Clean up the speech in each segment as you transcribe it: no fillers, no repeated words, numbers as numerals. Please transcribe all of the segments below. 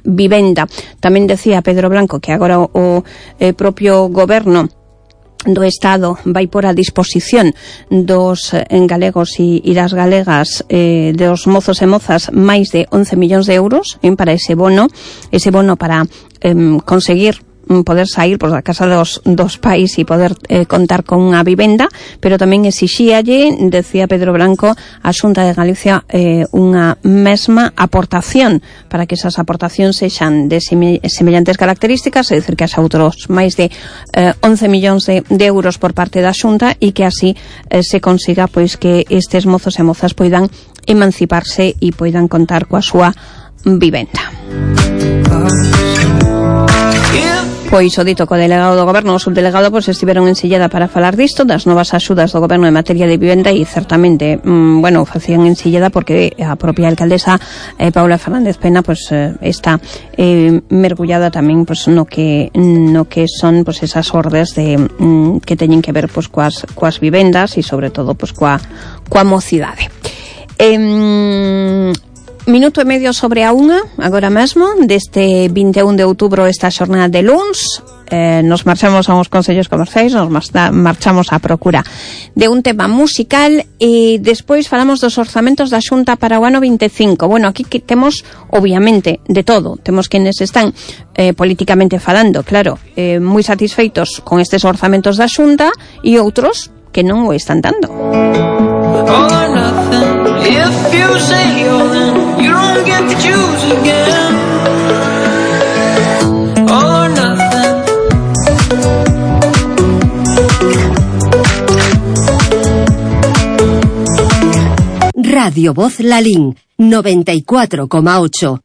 unha vivenda. Tamén decía Pedro Blanco que agora o propio goberno do Estado vai por a disposición dos galegos e das galegas, dos mozos e mozas, máis de 11 millóns de euros para ese bono para conseguir poder sair por da casa dos pais e poder contar con unha vivenda, pero tamén exixíalle, decía Pedro Blanco, a Xunta de Galicia unha mesma aportación para que esas aportacións sexan de semellantes características, é dicir, que haxa outros máis de 11 millóns de euros por parte da Xunta e que así se consiga pois que estes mozos e mozas poidan emanciparse e poidan contar coa súa vivenda. Pois o dito co delegado do goberno, o subdelegado, pois estiveron en Silleda para falar disto, das novas axudas do goberno en materia de vivenda e certamente, facían en Silleda porque a propia alcaldesa Paula Fernández Pena pois está mergullada tamén pois no que son pois esas ordes de que teñen que ver pois coas vivendas e sobre todo pois coa mocidade. Minuto e medio sobre a unha, agora mesmo, deste 21 de outubro, esta xornada de luns. Nos marchamos a uns consellos comerciais, nos marchamos á procura de un tema musical e despois falamos dos orzamentos da Xunta para o ano 25. Bueno, aquí que temos, obviamente, de todo. Temos quenes están políticamente falando, claro, moi satisfeitos con estes orzamentos da Xunta e outros que non o están dando. If you say you're in, you don't get to choose again. All or nothing. Radio Voz Lalín 94,8.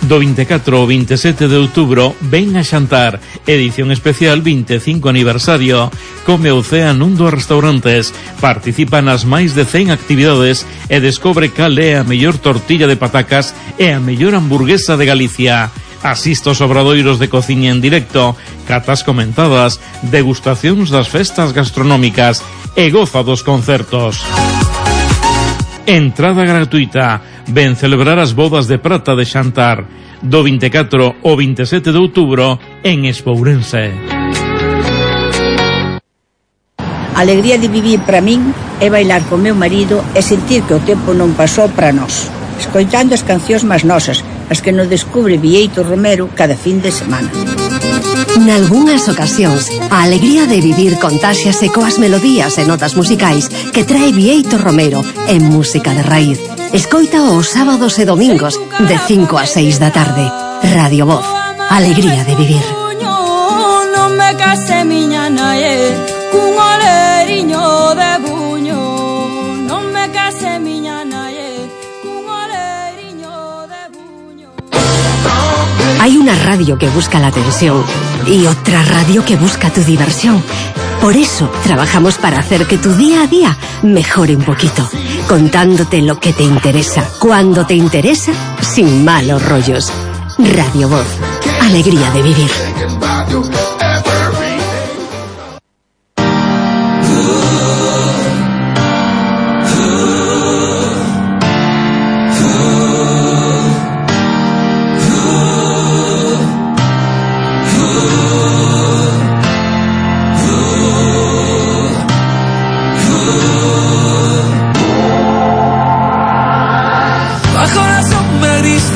Do 24 ao 27 de outubro ven a xantar, edición especial 25 aniversario. Come ou cea nun dos restaurantes, participa nas máis de 100 actividades e descobre cal é a mellor tortilla de patacas e a mellor hamburguesa de Galicia. Asiste aos obradoiros de cociña en directo, catas comentadas, degustacións das festas gastronómicas e goza dos concertos. Entrada gratuita. Ven celebrar as bodas de prata de Xantar do 24 ao 27 de outubro en Espourense. A alegría de vivir para min é bailar con meu marido e sentir que o tempo non pasou para nós, escoitando as cancións máis nosas, as que nos descubre Bieito Romero cada fin de semana. Nalgúnas ocasións, a alegría de vivir contáxiase coas melodías e notas musicais que trae Bieito Romero en música de raíz. Escoita os sábados e domingos de 5 a 6 da tarde. Radio Voz, alegría de vivir. Non me case miña nae, cun oleriño de buño. Non me case miña nae, cun oleriño de buño. Hay una radio que busca la atención y otra radio que busca tu diversión. Por eso trabajamos para hacer que tu día a día mejore un poquito, contándote lo que te interesa, cuando te interesa, sin malos rollos. Radio Voz, alegría de vivir.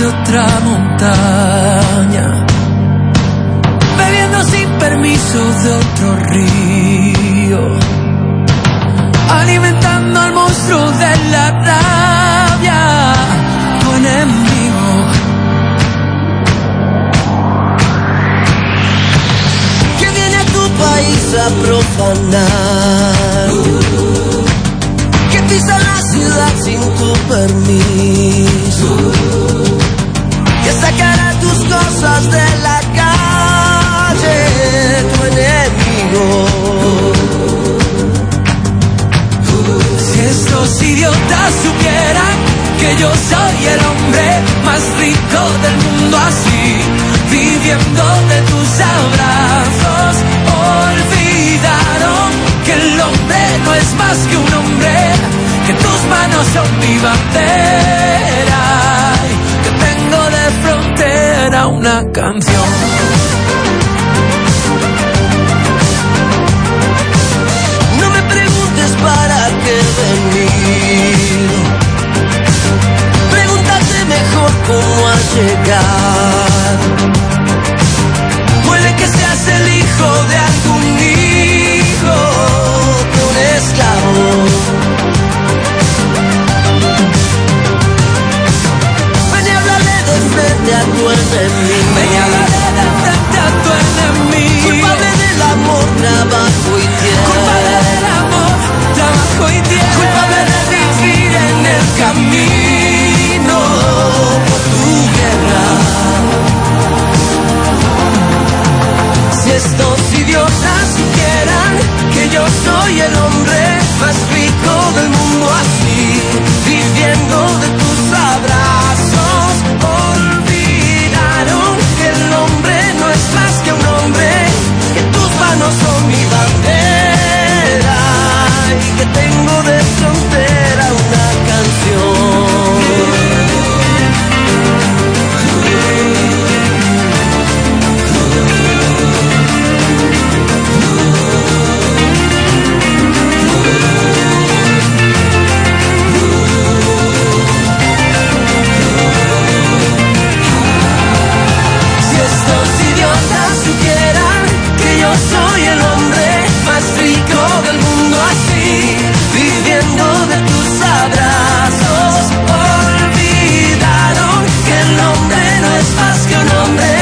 Otra montaña, bebiendo sin permiso de otro río, alimentando al monstruo de la rabia, tu enemigo. Que viene a tu país a profanar, que pisa la ciudad sin tu permiso, que sacará tus cosas de la calle, tu enemigo. Si estos idiotas supieran que yo soy el hombre más rico del mundo, así, viviendo de tus abrazos, olvidaron que el hombre no es más que un hombre, que tus manos son mi bandera, que tengo de frontera era una canción. No me preguntes para qué venir, pregúntate mejor cómo has llegado. Puede que seas el hijo de algún hijo de un esclavo. Ven y háblale de frente a tu enemigo. Ven y háblale de frente a tu enemigo. Culpable del amor, trabajo y tierra. Culpable del amor, trabajo y tierra. Culpable de vivir en el camino por tu guerra. Si estos idiotas supieran que yo soy el hombre más rico del mundo, así, viviendo de tus abrazos, olvidaron que el hombre no es más que un hombre, que tus manos son mi bandera y que tengo de frontera una canción. Soy el hombre más rico del mundo, así, viviendo de tus abrazos. Olvidaron que el hombre no es más que un hombre,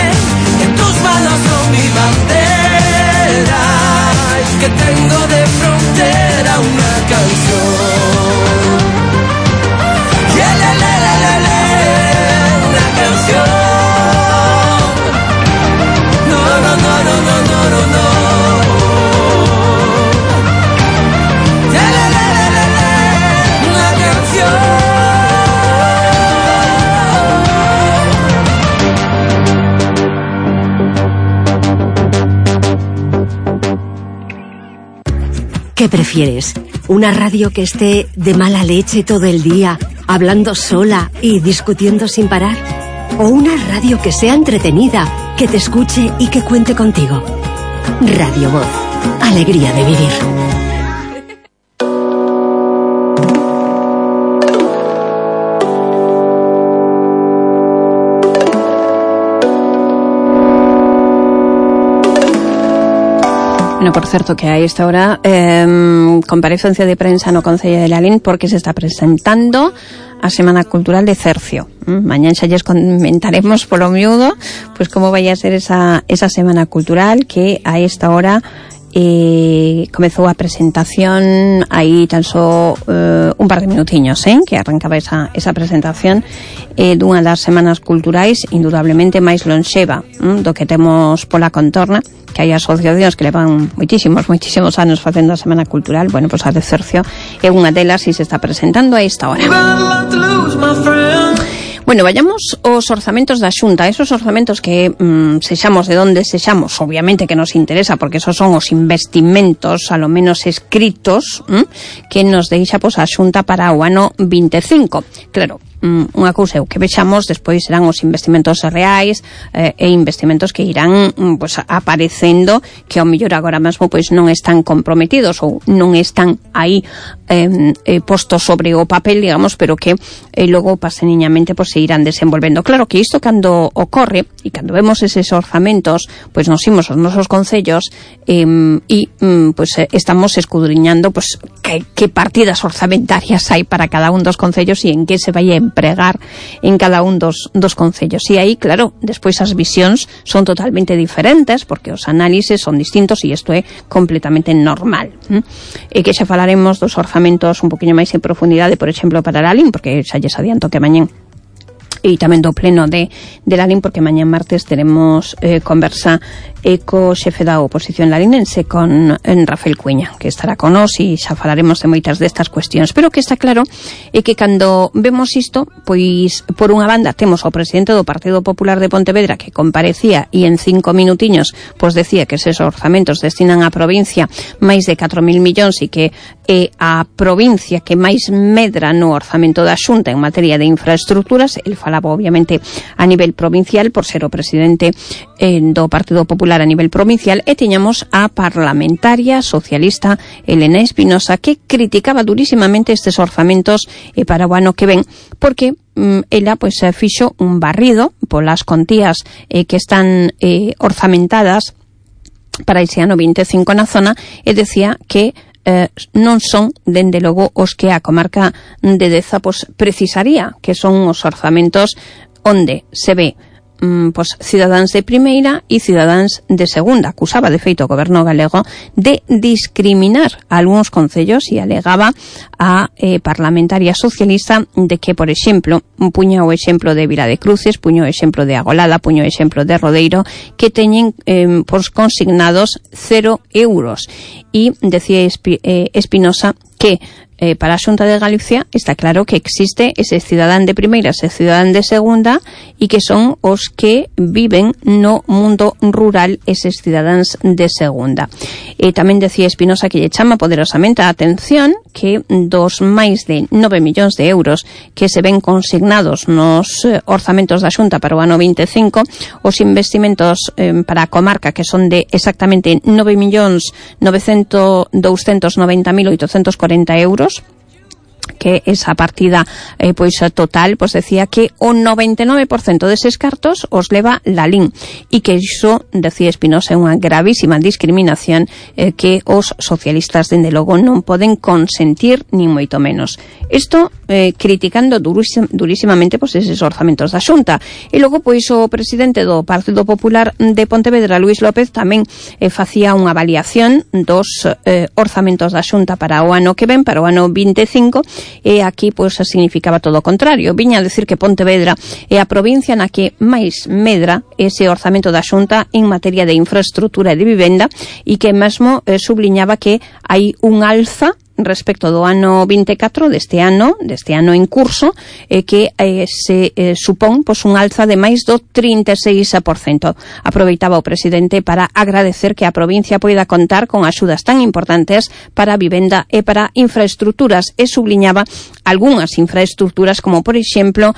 que tus manos son mi bandera y que tengo de frontera una canción. Una canción. ¿Qué prefieres? ¿Una radio que esté de mala leche todo el día, hablando sola y discutiendo sin parar? ¿O una radio que sea entretenida, que te escuche y que cuente contigo? Radio Voz. Alegría de vivir. Bueno, por certo, que a esta hora comparecencia de prensa no Concello de Lalín porque se está presentando a Semana Cultural de Cercio. Mañana xa lles comentaremos polo miúdo pues como vai a ser esa Semana Cultural, que a esta hora comezou a presentación aí tan só un par de minutiños que arrancaba esa presentación dunha das semanas culturais indudablemente máis lonxeva do que temos pola contorna, que hai asociacións que levan moitísimos anos facendo a Semana Cultural. Bueno, pois a de Cercio é unha delas e se está presentando a esta hora. Bueno, vayamos aos orzamentos da Xunta, esos orzamentos que sexamos de onde sexamos, obviamente que nos interesa porque esos son os investimentos, a lo menos escritos, que nos deixa a Xunta para o ano 25. Claro, unha cousa é o que vexamos, despois serán os investimentos reais e investimentos que irán aparecendo, que ao mellor agora mesmo pois non están comprometidos ou non están aí postos sobre o papel, digamos, pero que logo paseniñamente pois se irán desenvolvendo. Claro que isto cando ocorre e cando vemos eses orzamentos, pois nos imos aos nosos concellos e estamos escudriñando pois que partidas orzamentarias hai para cada un dos concellos e en que se vai a empregar en cada un dos concellos. E aí, claro, despois as visións son totalmente diferentes porque os análises son distintos e isto é completamente normal. E que xa falaremos dos orzamentos un poquinho máis en profundidade, por exemplo, para Lalín, porque xa lles adianto que mañén e tamén do pleno de Lalín, porque mañán martes teremos conversa co xefe da oposición larinense, con Rafael Cuña, que estará con nós e xa falaremos de moitas destas cuestións. Pero o que está claro é que cando vemos isto, pois por unha banda temos ao presidente do Partido Popular de Pontevedra que comparecía e en 5 minutiños pois decía que eses orzamentos destinan á provincia máis de 4.000 millóns e que é a provincia que máis medra no orzamento da Xunta en materia de infraestructuras. El falaba obviamente a nivel provincial por ser o presidente do Partido Popular a nivel provincial, e tiñamos a parlamentaria socialista Elena Espinosa, que criticaba durísimamente estes orzamentos para o ano que ven, porque ela pois fixo un barrido polas contías que están orzamentadas para ese ano 25 na zona, e decía que non son, dende logo, os que a comarca de Deza pois precisaría, que son os orzamentos onde se ve pois cidadáns de primeira e cidadáns de segunda. Acusaba de feito o goberno galego de discriminar a algúns concellos e alegaba a parlamentaria socialista de que, por exemplo, puña o exemplo de Vila de Cruces, puño o exemplo de Agolada, puño o exemplo de Rodeiro, que teñen pois consignados 0 euros. E decía Espinosa que para a Xunta de Galicia está claro que existe ese cidadán de primeira e cidadán de segunda, e que son os que viven no mundo rural, eses cidadáns de segunda. Tamén decía Espinosa que lle chama poderosamente a atención que dos máis de 9 millóns de euros que se ven consignados nos orzamentos da Xunta para o ano 25, os investimentos para a comarca, que son de exactamente 9.290.840 euros, que esa partida pois total, pois decía que o 99% deses cartos os leva Lalín, e que iso, decía Espinosa, é unha gravísima discriminación que os socialistas dende logo non poden consentir, nin moito menos. Isto criticando durísimamente pois eses orzamentos da Xunta. E logo pois o presidente do Partido Popular de Pontevedra, Luís López, tamén facía unha avaliación dos orzamentos da Xunta para o ano que ven, para o ano 25, e aquí pois significaba todo o contrario. Viña a decir que Pontevedra é a provincia na que máis medra ese orzamento da Xunta en materia de infraestrutura e de vivenda, e que mesmo subliñaba que hai un alza respecto do ano 24, deste ano en curso, que se supón pois un alza de máis do 36%. Aproveitaba o presidente para agradecer que a provincia poida contar con axudas tan importantes para a vivenda e para infraestructuras, e subliñaba algunhas infraestructuras, como por exemplo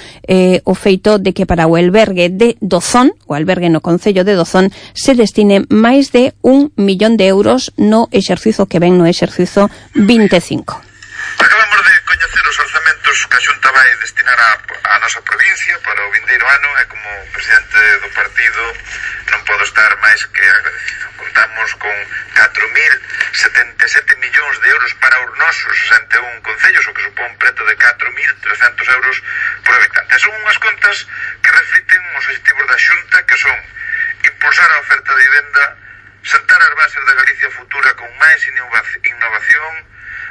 o feito de que para o albergue de Dozón, o albergue no concello de Dozón, se destine máis de 1 millón de euros no exercizo que ven, no exercizo 25. Acabamos de coñecer os orzamentos que a Xunta vai destinar á nosa provincia para o vindeiro ano, e como presidente do partido non podo estar máis que agradecido. Contamos con 4.077 millóns de euros para os nosos 61 concellos, o que supón preto de 4.300 euros por habitante. Son unhas contas que reflicten os objetivos da Xunta, que son impulsar a oferta de vivenda, sentar as bases da Galicia futura con máis innovación,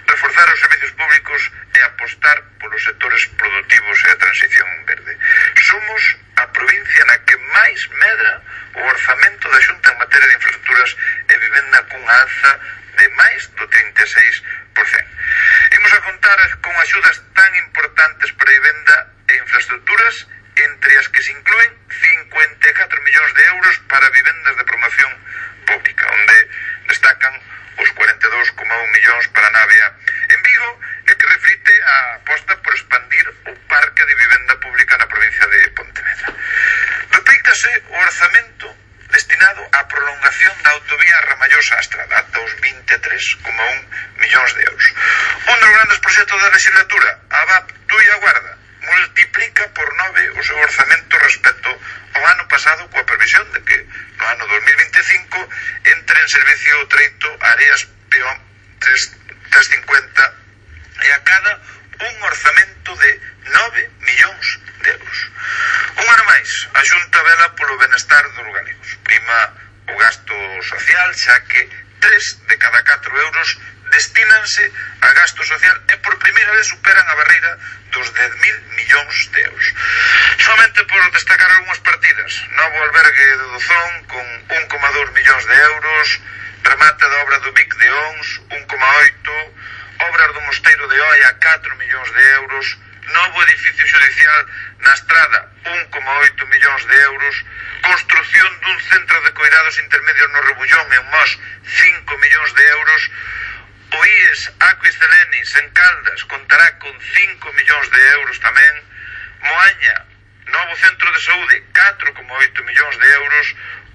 reforzar os servicios públicos e apostar polos sectores productivos e a transición verde. Somos a provincia na que máis medra o orzamento da Xunta en materia de infraestructuras e vivenda, cunha alza de máis do 36%. Imos a contar con axudas tan importantes para vivenda e infraestructuras, entre as que se inclúen 54 millóns de euros para vivendas de promoción pública, onde destacan os 42,1 millóns para Navia en Vigo, e que reflite a aposta por expandir o parque de vivenda pública na provincia de Pontevedra. Duplícase o orzamento destinado á prolongación da autovía Ramallosa-Astrada ata os 23,1 millóns de euros. Un dos grandes proxectos da legislatura, a VAP Tui a Guarda, multiplica por 9 o seu orzamento respecto ao ano pasado, coa previsión de que no ano 2025 entre en servicio o treito Areas Peón 350 e a cada un orzamento de 9 millóns de euros. Un ano máis, a Xunta vela polo benestar dos galegos. Prima o gasto social, xa que 3 de cada 4 euros destínanse a gasto social e por primeira vez superan a barreira dos 10.000 millóns de euros. Somente por destacar algunhas partidas: novo albergue de Dozón con 1,2 millóns de euros, remate da obra do Vic de Ons 1,8, obras do Mosteiro de Oia 4 millóns de euros, novo edificio xudicial na Estrada 1,8 millóns de euros, construción dun centro de coidados intermedios no Rebullón en Mos 5 millóns de euros, o O IES Aquis Celenis en Caldas contará con 5 millóns de euros tamén. Moaña, novo centro de saúde, 4,8 millóns de euros.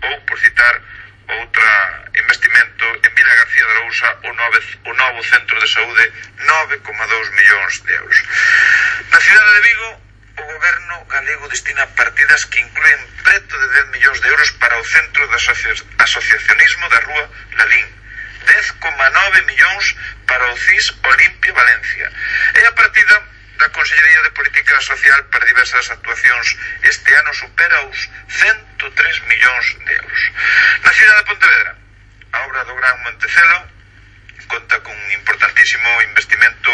Ou, por citar outra investimento, en Vila García de Arousa, o novo centro de saúde, 9,2 millóns de euros. Na cidade de Vigo, o goberno galego destina partidas que incluen preto de 10 millóns de euros para o centro de asociacionismo da Rúa Lalín, 10,9 millóns para o CIS Olimpia Valencia, e a partida da Consellería de Política Social para diversas actuacións este ano supera os 103 millóns de euros. Na cidade de Pontevedra, a obra do Gran Montecelo conta con un importantísimo investimento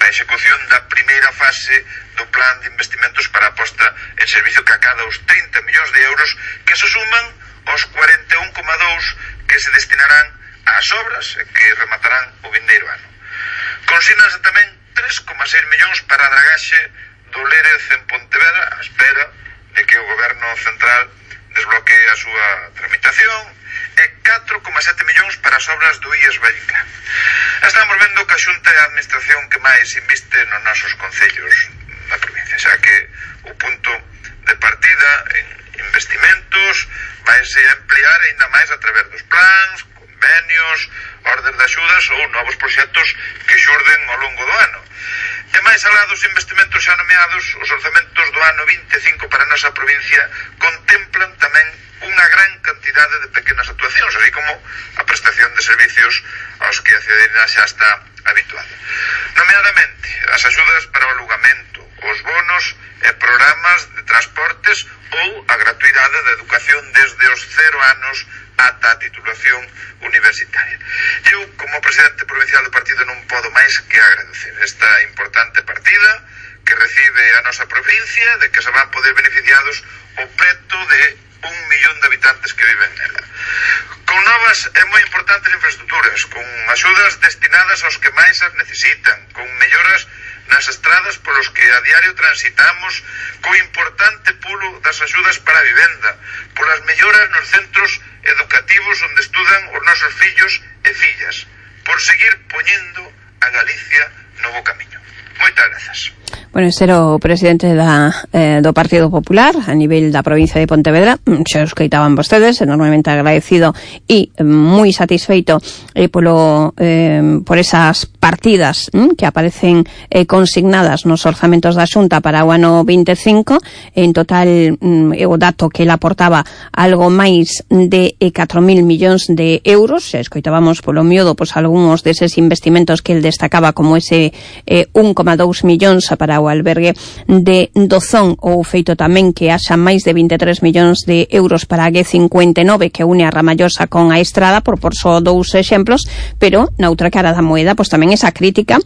na execución da primeira fase do plan de investimentos para a posta en servicio, que acada os 30 millóns de euros, que se suman aos 41,2 que se destinarán ás obras e que rematarán o vindeiro ano. Consínanse tamén 3,6 millóns para a dragaxe do Lérez en Pontevedra, a espera de que o goberno central desbloquee a súa tramitación, e 4,7 millóns para as obras do IES Vallica. Estamos vendo que a Xunta é a administración que máis inviste nos nosos concellos da provincia, xa que o punto de partida en investimentos vaise ampliar ainda máis a través dos plans, convenios, ordes de axudas ou novos proxectos que xurden ao longo do ano. E máis alá dos investimentos xa nomeados, os orzamentos do ano 25 para a nosa provincia contemplan tamén unha gran cantidade de pequenas actuacións, así como a prestación de servicios aos que a cidadanía xa está habituada. Nomeadamente, as axudas para o alugamento, os bonos e programas de transportes ou a gratuidade da educación desde os 0 anos ata a titulación universitaria. Eu, como presidente provincial do partido, non podo máis que agradecer esta importante partida que recibe a nosa provincia, de que se van poder beneficiados o preto de 1 millón de habitantes que viven nela. Con novas e moi importantes infraestructuras, con axudas destinadas aos que máis as necesitan, con melloras nas estradas polos que a diario transitamos, co importante pulo das axudas para a vivenda, polas melloras nos centros educativos onde estudan os nosos fillos e fillas, por seguir poñendo a Galicia no bo camiño. Moitas grazas. Bueno, este era o presidente do Partido Popular a nivel da provincia de Pontevedra. Xa os coitaban vostedes, enormemente agradecido e moi satisfeito por esas partidas que aparecen consignadas nos orzamentos da Xunta para o ano 25. En total, o dato que ele aportaba algo máis de 4.000 millóns de euros. Xa escoitábamos polo miúdo algúns deses investimentos que ele destacaba, como ese 1,2 millóns para o albergue de Dozón, ou feito tamén que haxa máis de 23 millóns de euros para a G59 que une a Ramallosa con a Estrada, por só dous exemplos. Pero na outra cara da moeda, tamén esa crítica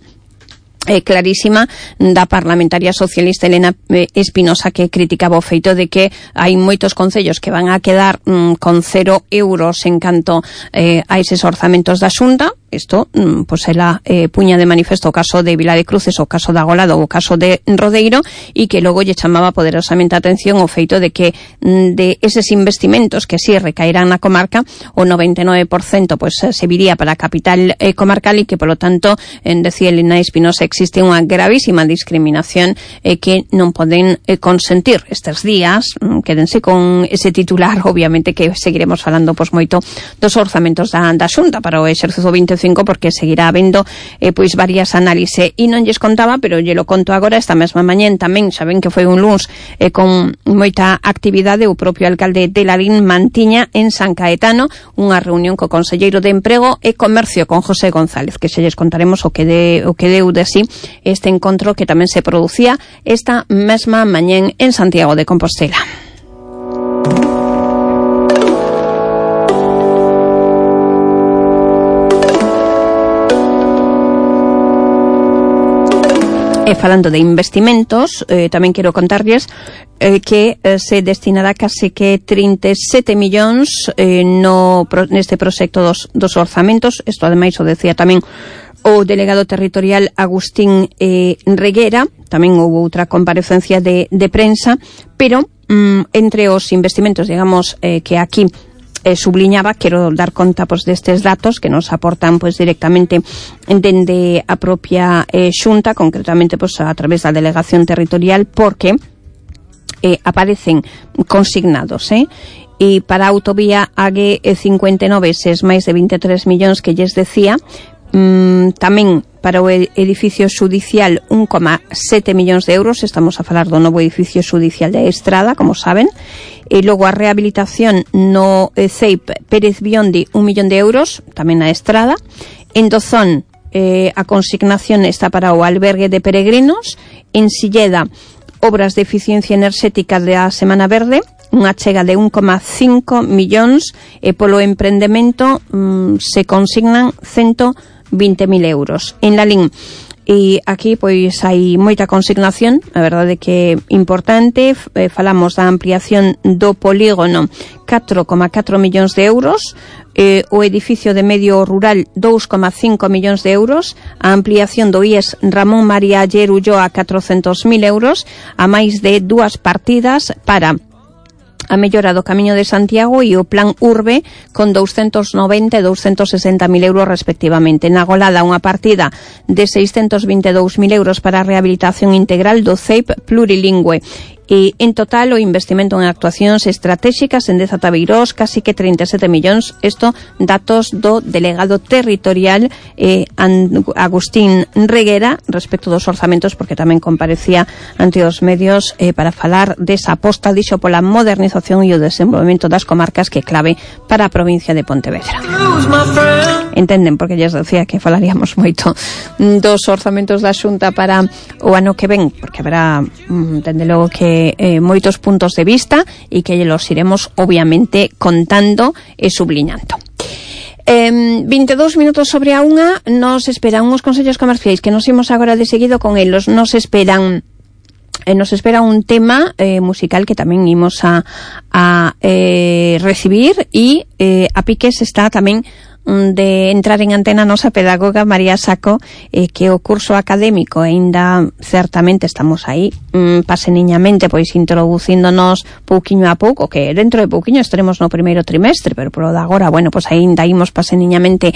clarísima da parlamentaria socialista Elena Espinosa, que criticaba o feito de que hai moitos concellos que van a quedar con 0 euros en canto a eses orzamentos da Xunta. Isto, ela puña de manifesto o caso de Vila de Cruces, o caso da Golado, o caso de Rodeiro, e que logo lle chamaba poderosamente a atención o feito de que de eses investimentos que si recaerán na comarca, o 99% se viría para a capital comarcal, e que, polo tanto, decía Elena Espinosa, existe unha gravísima discriminación que non poden consentir estes días. Quédense con ese titular, obviamente que seguiremos falando moito dos orzamentos da Xunta para o exercicio 25, porque seguirá habendo varias análises, e non lles contaba, pero lle lo conto agora. Esta mesma mañén tamén, saben que foi un luns con moita actividade, o propio alcalde de Lalín mantiña en San Caetano unha reunión co conselleiro de Emprego e Comercio, con José González, que se lles contaremos o que deu de sí este encontro que tamén se producía esta mesma mañén en Santiago de Compostela. E falando de investimentos, tamén quero contarlles que se destinará case que 37 millóns neste proxecto dos orzamentos. Isto ademais o decía tamén o delegado territorial Agustín Reguera. Tamén houve outra comparecencia de prensa, pero entre os investimentos, digamos, que aquí subliñaba, quero dar conta pois destes datos que nos aportan pois directamente dende a propia Xunta, concretamente pois a través da delegación territorial, porque aparecen consignados, e para a autovía AG 59 eses máis de 23 millóns que lles decía, tamén para o edificio xudicial 1,7 millóns de euros, estamos a falar do novo edificio xudicial de Estrada, como saben, e logo a rehabilitación no CEIP Pérez Biondi 1 millón de euros, tamén na Estrada. En Dozón a consignación está para o albergue de peregrinos. En Silleda, obras de eficiencia enerxética da Semana Verde, unha chega de 1,5 millóns, e polo emprendemento se consignan 120.000 euros. En Lalín, e aquí pois hai moita consignación, a verdade que importante, falamos da ampliación do polígono 4,4 millóns de euros, o edificio de medio rural 2,5 millóns de euros, a ampliación do IES Ramón María Aller Ulloa 400.000 euros, a máis de 2 partidas para a mellora do Camiño de Santiago e o Plan Urbe con 290 e 260.000 euros respectivamente. Na Golada, unha partida de 622.000 euros para a rehabilitación integral do CEIP plurilingüe. E en total o investimento en actuacións estratégicas en Deza Tabeirós casi que 37 millóns. Isto datos do delegado territorial Agustín Reguera respecto dos orzamentos, porque tamén comparecía ante os medios para falar desa aposta, dixo, pola modernización e o desenvolvemento das comarcas, que é clave para a provincia de Pontevedra. Entenden, porque lles decía que falaríamos moito dos orzamentos da Xunta para o ano que ven, porque haberá, entende logo que moitos puntos de vista e que los iremos obviamente contando e subliñando. 22 minutos sobre a unha, nos esperan uns consellos comerciais que nos imos agora de seguido con elos. Nos espera un tema musical que tamén imos a recibir, e a piques está tamén de entrar en antena a nosa pedagoga María Saco, que o curso académico aínda certamente estamos aí paseniñamente pois introducíndonos pouquiño a pouco, que dentro de pouquiño estaremos no primeiro trimestre, pero por de agora, bueno, pois aínda imos paseniñamente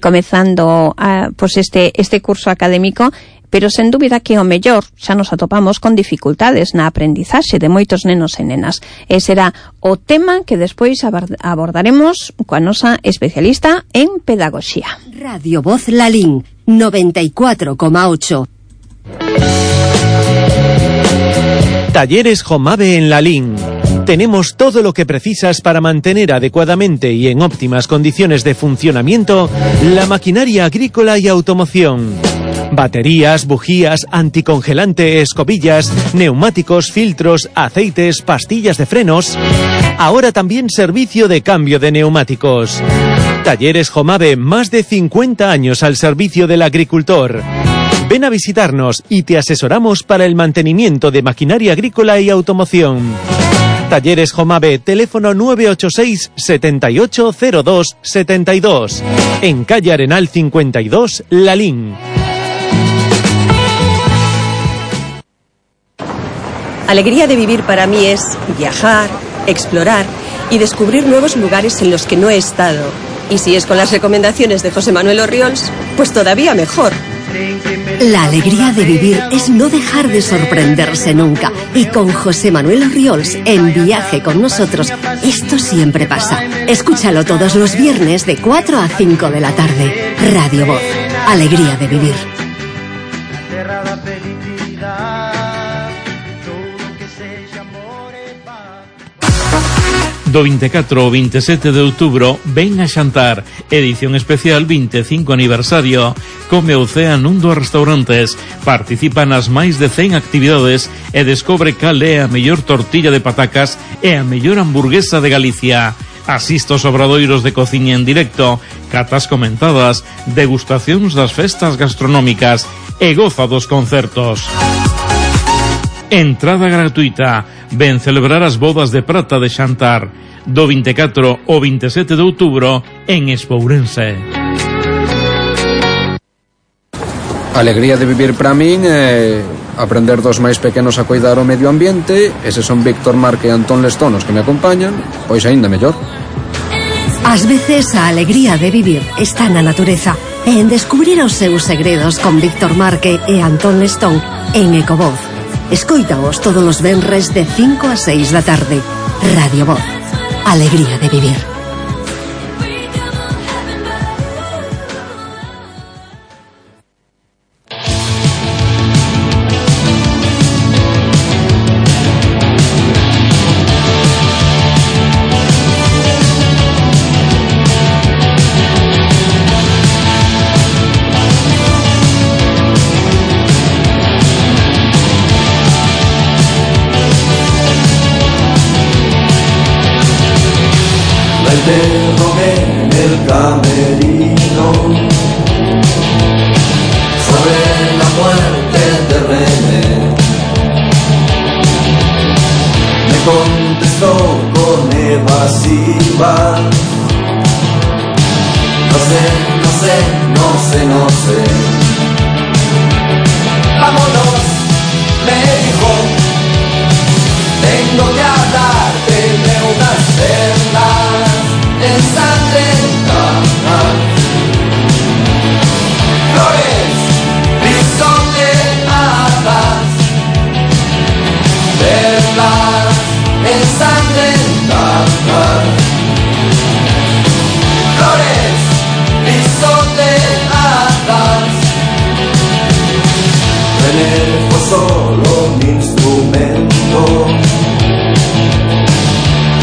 comezando pois este curso académico. Pero sen dúbida que o mellor xa nos atopamos con dificultades na aprendizaxe de moitos nenos e nenas. E será o tema que despois abordaremos coa nosa especialista en pedagogía. Radio Voz Lalín 94,8. Talleres Jomave en Lalín. Tenemos todo lo que precisas para mantener adecuadamente y en óptimas condiciones de funcionamiento la maquinaria agrícola y automoción. Baterías, bujías, anticongelante, escobillas, neumáticos, filtros, aceites, pastillas de frenos. Ahora también servicio de cambio de neumáticos. Talleres Jomave, más de 50 años al servicio del agricultor. Ven a visitarnos y te asesoramos para el mantenimiento de maquinaria agrícola y automoción. Talleres Jomave, teléfono 986 7802 72, en calle Arenal 52, Lalín. Alegría de vivir para mí es viajar, explorar y descubrir nuevos lugares en los que no he estado. Y si es con las recomendaciones de José Manuel Orriols, pues todavía mejor. La alegría de vivir es no dejar de sorprenderse nunca. Y con José Manuel Orriols en Viaje con nosotros, esto siempre pasa. Escúchalo todos los viernes de 4 a 5 de la tarde. Radio Voz. Alegría de vivir. Do 24 ao 27 de outubro, ven a xantar, edición especial 25 aniversario. Come o cea nun dos restaurantes, participa nas máis de 100 actividades e descobre cal é a mellor tortilla de patacas e a mellor hamburguesa de Galicia. Asista aos obradoiros de cociña en directo, catas comentadas, degustacións das festas gastronómicas e goza dos concertos. Entrada gratuita. Ven celebrar as bodas de prata de Xantar do 24 ao 27 de outubro en Espourense. Alegría de vivir para min é aprender dos máis pequenos a cuidar o medio ambiente. Eses son Víctor Marque e Antón Lestonos que me acompañan, pois aínda mellor. Ás veces a alegría de vivir está na natureza e en descubrir os seus segredos con Víctor Marque e Antón Lestón en Ecovoz. Escoítaos todos os venres de 5 a 6 da tarde. Radio Voz. Alegría de vivir. interrogué en el camerino sobre la muerte de René. Me contestó con evasiva: no sé. Vámonos, me dijo, tengo que hablarte de unas perlas ensangrentadas, flores pisoteadas, perlas ensangrentadas, flores pisoteadas. René fue solo un instrumento,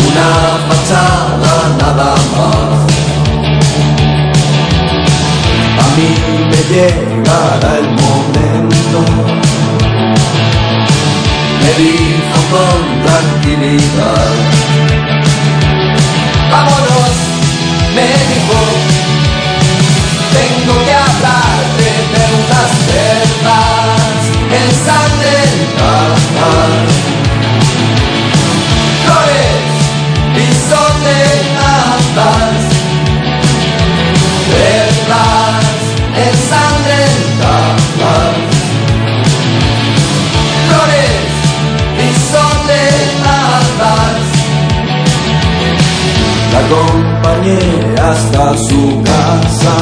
una fachada nada más. A mí me llegará el momento, me dijo con tranquilidad. Vámonos, me dijo, tengo que hablarte de unas perlas ensangrentadas, flores pisoteadas, perlas ensangrentadas, flores pisoteadas. La acompañé hasta su casa,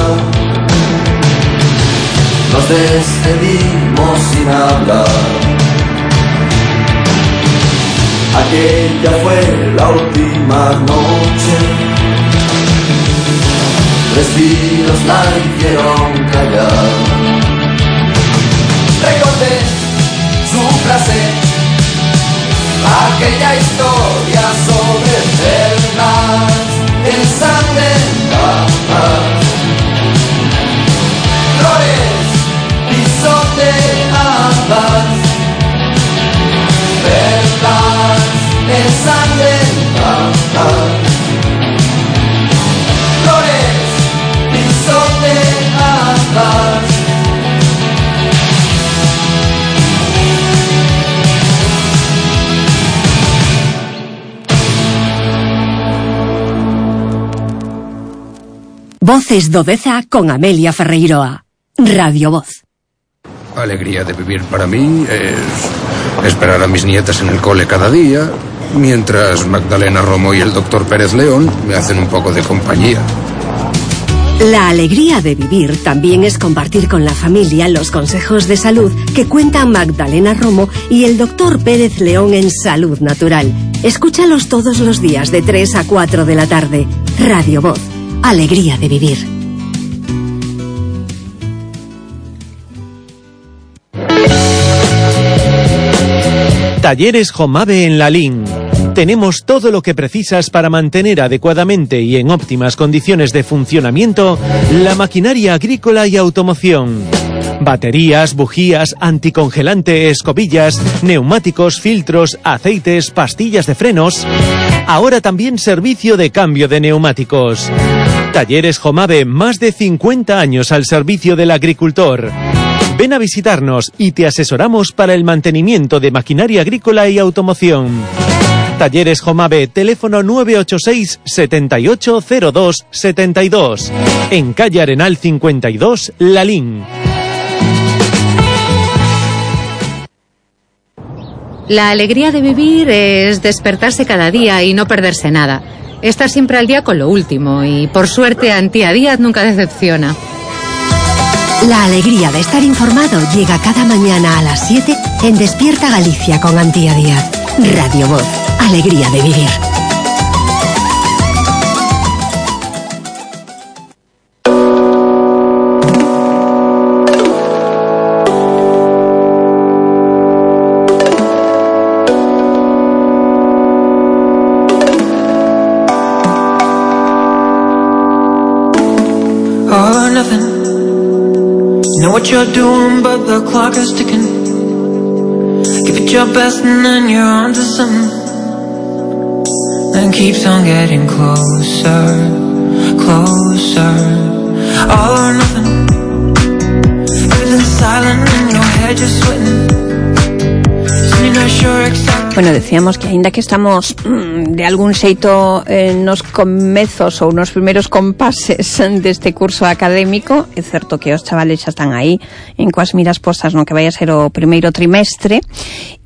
nos despedimos sin hablar. Aquella fue la última noche, respiros la hicieron callar. Recordé su frase, aquella historia sobre perlas ensangrentadas, flores pisoteadas, perlas ensangrentadas, flores pisoteadas. Voces do Deza con Amelia Ferreiroa. Radio Voz. Alegría de vivir para mí es esperar a mis nietas en el cole cada día, mientras Magdalena Romo y el doctor Pérez León me hacen un poco de compañía. La alegría de vivir también es compartir con la familia los consejos de salud que cuentan Magdalena Romo y el doctor Pérez León en Salud Natural. Escúchalos todos los días de 3 a 4 de la tarde. Radio Voz. Alegría de vivir. Talleres Jomave en Lalín. Tenemos todo lo que precisas para mantener adecuadamente y en óptimas condiciones de funcionamiento la maquinaria agrícola y automoción. Baterías, bujías, anticongelante, escobillas, neumáticos, filtros, aceites, pastillas de frenos. Ahora también servicio de cambio de neumáticos. Talleres Jomave, más de 50 años al servicio del agricultor. Ven a visitarnos y te asesoramos para el mantenimiento de maquinaria agrícola y automoción. Talleres Jomave, teléfono 986 7802 72, en calle Arenal 52, Lalín. La alegría de vivir es despertarse cada día y no perderse nada. Está siempre al día con lo último y, por suerte, Antía Díaz nunca decepciona. La alegría de estar informado llega cada mañana a las 7 en Despierta Galicia con Antía Díaz. Radio Voz, alegría de vivir. Know what you're doing, but the clock is ticking. Give it your best and then you're on to something. Then keeps on getting closer, closer. All or nothing. Everything's silent in your head, just sweating. So you're not sure exactly. Bueno, decíamos que aínda que estamos de algún xeito nos comezos ou nos primeiros compases deste curso académico, é certo que os chavales xa están aí en coas miras postas no que vai a ser o primeiro trimestre,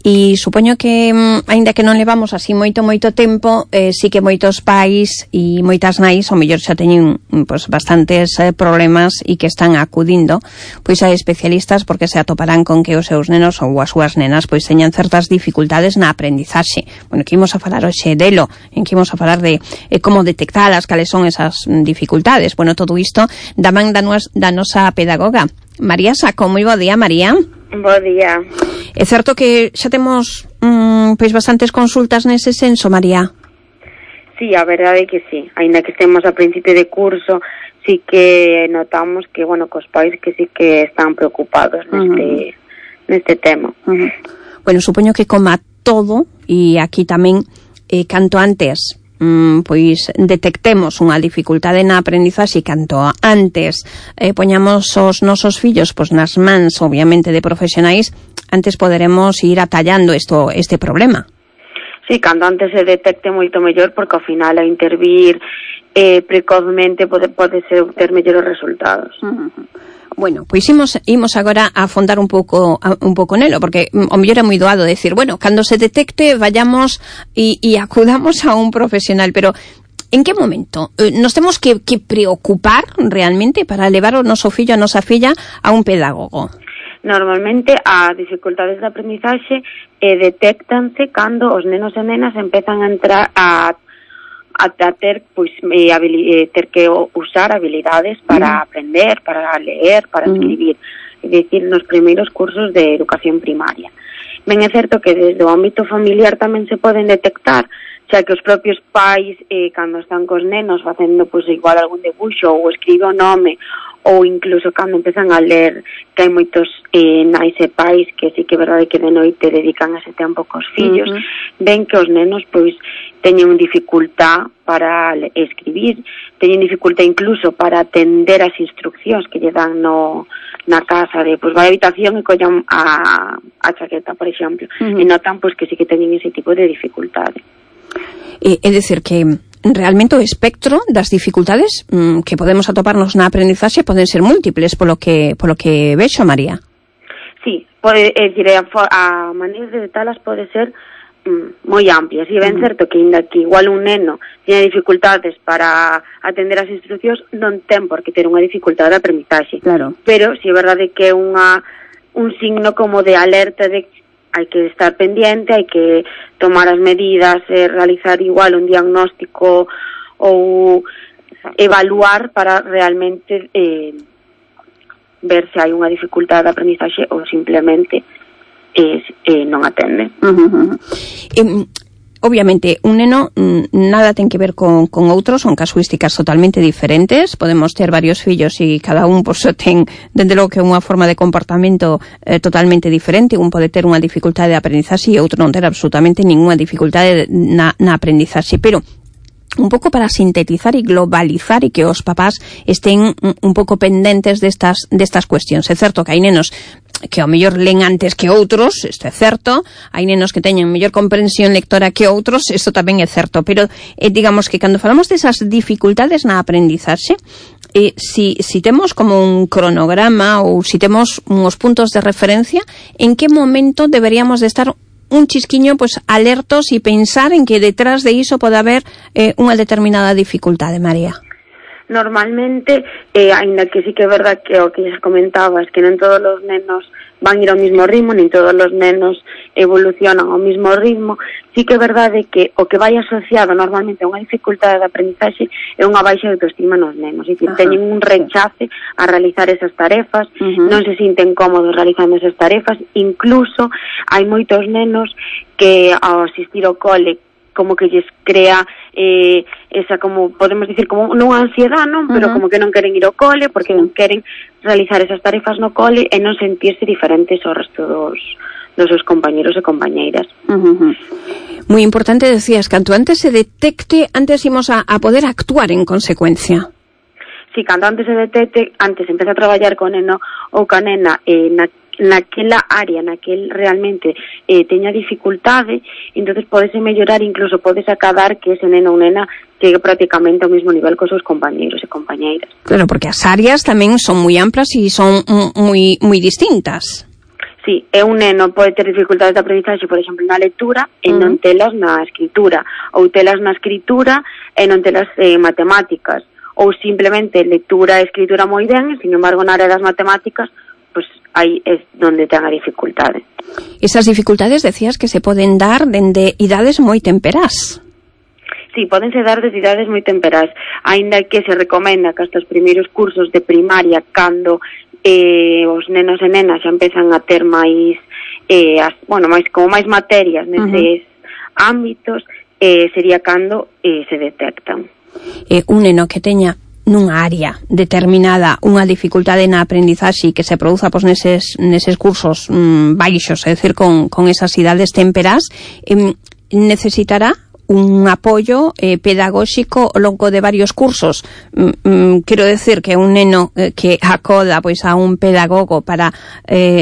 e supoño que aínda que non levamos así moito tempo, sí que moitos pais e moitas nais ao mellor xa teñen pues, bastantes problemas e que están acudindo pois a especialistas porque se atoparán con que os seus nenos ou as súas nenas pois teñan certas dificultades na aprendizaxe. Bueno, que imos a falar hoxe delo, en que imos a falar de como detectalas, cales son esas dificultades. Bueno, todo isto da man da nosa pedagoga María Saco. Moi bo día, María. Bo día. É certo que xa temos pois bastantes consultas nese senso, María? Sí, a verdade é que sí. Ainda que estemos a principio de curso, sí que notamos que, bueno, cos pais que sí que están preocupados neste tema. Bueno, supoño que como a todo, e aquí tamén, canto antes pois detectemos unha dificultade na aprendizaxe, canto antes poñamos os nosos fillos pois nas mans, obviamente, de profesionais, antes poderemos ir atallando este problema. Sí, canto antes se detecte moito mellor, porque ao final a intervir precozmente pode ter mellores resultados. Bueno, pois imos agora a afondar un pouco nelo, porque o mellor é moi doado decir, bueno, cando se detecte vayamos e acudamos a un profesional, pero en que momento nos temos que preocupar realmente para levar o noso fillo, a nosa filla a un pedagogo? Normalmente as dificultades de aprendizaxe detectanse cando os nenos e nenas empezan a entrar a ter ter que usar habilidades para aprender, para leer, para escribir, é dicir, nos primeiros cursos de educación primaria. Ben, é certo que desde o ámbito familiar tamén se poden detectar, xa que os propios pais, cando están cos nenos facendo igual algún debuxo ou escribe o nome, ou incluso cando empezan a ler, que hai moitos nais e pais que sí que é verdade que de noite dedican ese tempo cos fillos, ven que os nenos teñen dificultad para escribir, teñen dificultad incluso para atender as instruccións que lle dan na casa de, vai á habitación e collan a chaqueta, por exemplo, e notan que sí que teñen ese tipo de dificultade. É dicir que realmente o espectro das dificultades que podemos atoparnos na aprendizaxe poden ser múltiples, polo que vexo, María. Sí, é dicir, a maneira de detalas pode ser moi amplias, e ben certo que ainda que igual un neno tiña dificultades para atender as instruccións, non ten por que ter unha dificultade de aprendizaxe, claro. Pero si é verdade que é un signo como de alerta de hai que estar pendiente, hai que tomar as medidas, realizar igual un diagnóstico ou evaluar para realmente ver se hai unha dificultade de aprendizaxe ou simplemente non atende. Obviamente, un neno nada ten que ver con outros, son casuísticas totalmente diferentes. Podemos ter varios fillos e cada un ten, dende logo que unha forma de comportamento totalmente diferente. Un pode ter unha dificultade de aprendizaxe e outro non ter absolutamente ninguna dificultade na aprendizaxe. Pero un pouco para sintetizar e globalizar e que os papás estén un pouco pendentes destas cuestións. É certo que hai nenos que ao mellor len antes que outros, isto é certo, hai nenos que teñen mellor comprensión lectora que outros, isto tamén é certo, pero digamos que cando falamos desas dificultades na aprendizaxe, si temos como un cronograma ou si temos uns puntos de referencia, en que momento deberíamos de estar un chisquiño, pues alertos e pensar en que detrás de iso pode haber unha determinada dificultade, María. Normalmente, aínda que sí que é verdad que o que xa comentabas, que non todos os nenos van ir ao mismo ritmo, nin todos os nenos evolucionan ao mismo ritmo, sí que é verdade que o que vai asociado normalmente a unha dificultade de aprendizaxe é unha baixa de autoestima nos nenos, é dicir, teñen un rechace a realizar esas tarefas, non se sinten cómodos realizando esas tarefas, incluso hai moitos nenos que ao asistir ao cole como que lles crea esa, como podemos dicir, como non ansiedade, non? Pero como que non queren ir ao cole porque non queren realizar esas tarefas no cole e non sentirse diferentes ao resto dos seus compañeros e compañeiras. Moi importante, decías, canto antes se detecte, antes imos a poder actuar en consecuencia. Sí, canto antes se detecte, antes empeza a traballar con neno ou ca nena naquela área, naquel realmente teña dificultade, entonces podese mellorar, incluso podes acadar que ese neno ou nena chegue prácticamente ao mesmo nivel cos seus compañeiros e compañeiras. Claro, porque as áreas tamén son moi amplas e son moi distintas. Sí, un neno pode ter dificultades de aprendizaxe, por exemplo, na lectura e non telas na escritura, ou telas na escritura e non telas matemáticas, ou simplemente lectura e escritura moi ben, e, sin embargo, na área das matemáticas, pues aí é onde ten a dificultade. Esas dificultades, decías, que se poden dar dende idades moi temperás. Sí, podense dar desde idades moi temperás, aínda que se recomenda que hasta os primeiros cursos de primaria, cando os nenos e nenas xa empezan a ter máis máis materias neses ámbitos, sería cando se detectan. Un neno que teña nunha área determinada unha dificultade na aprendizaxe que se produza pois neses cursos baixos, é dicir, con esas idades temperás, necesitará un apoio pedagóxico ao longo de varios cursos. Quero decir que un neno que acoda pois a un pedagogo para